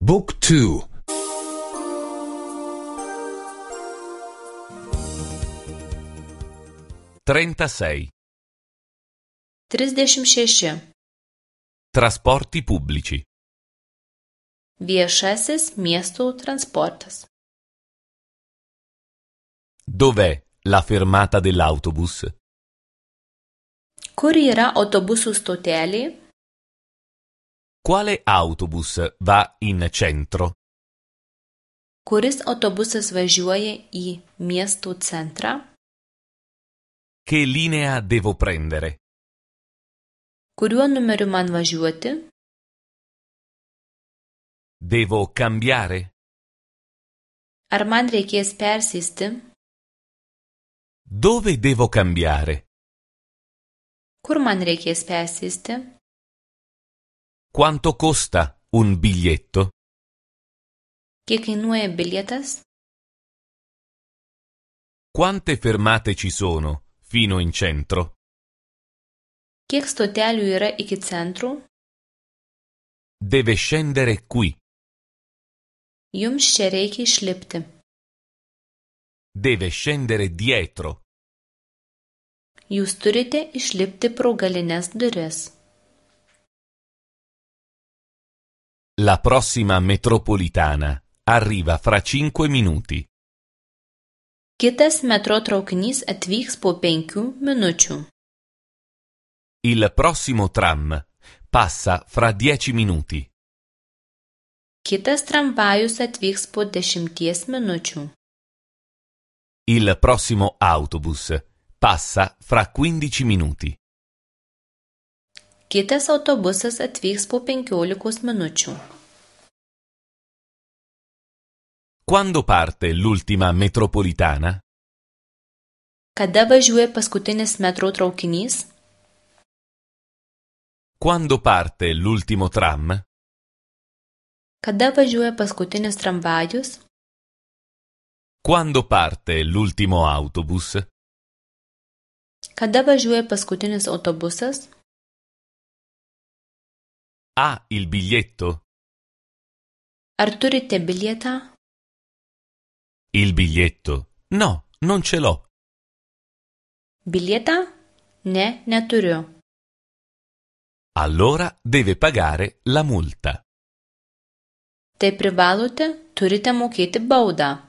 Book 2. 36. 36. Trasporti pubblici. Viešasis miestų transportas. Dov'è la fermata dell'autobus? Kur yra autobusų stotelė? Quale autobus va in centro? Kuris autobusas važiuoja į miesto centrą? Che linea devo prendere? Kuriuo numeriu man važiuoti? Devo cambiare? Ar man reikės persėsti? Dove devo cambiare? Kur man reikės persėsti? Quanto costa un biglietto? Kiek kainuoja bilietas? Quante fermate ci sono fino in centro? Kiek stotelių yra iki centrų? Deve scendere qui. Jums čia reikia išlipti. Deve scendere dietro. Jūs turite išlipti pro galines duris. La prossima metropolitana arriva fra 5 minuti. Kitas metro traukinys atvyks po 5 minučių. Il prossimo tram passa fra 10 minuti. Kitas tramvajus atvyks po 10 minučių. Il prossimo autobus passa fra 15 minuti. Kitas autobusas atvyks po 15 minučių. Quando parte l'ultima metropolitana? Kada važiuoja paskutinis metro traukinys? Quando parte l'ultimo tram? Kada važiuoja paskutinis tramvajus? Quando parte l'ultimo autobus? Kada važiuoja paskutinis autobusas? Ha il biglietto? Ar turite bilietą? Il biglietto? No, non ce l'ho. Bilietą? Ne, neturiu. Allora deve pagare la multa. Tai privalote, turite mokėti baudą.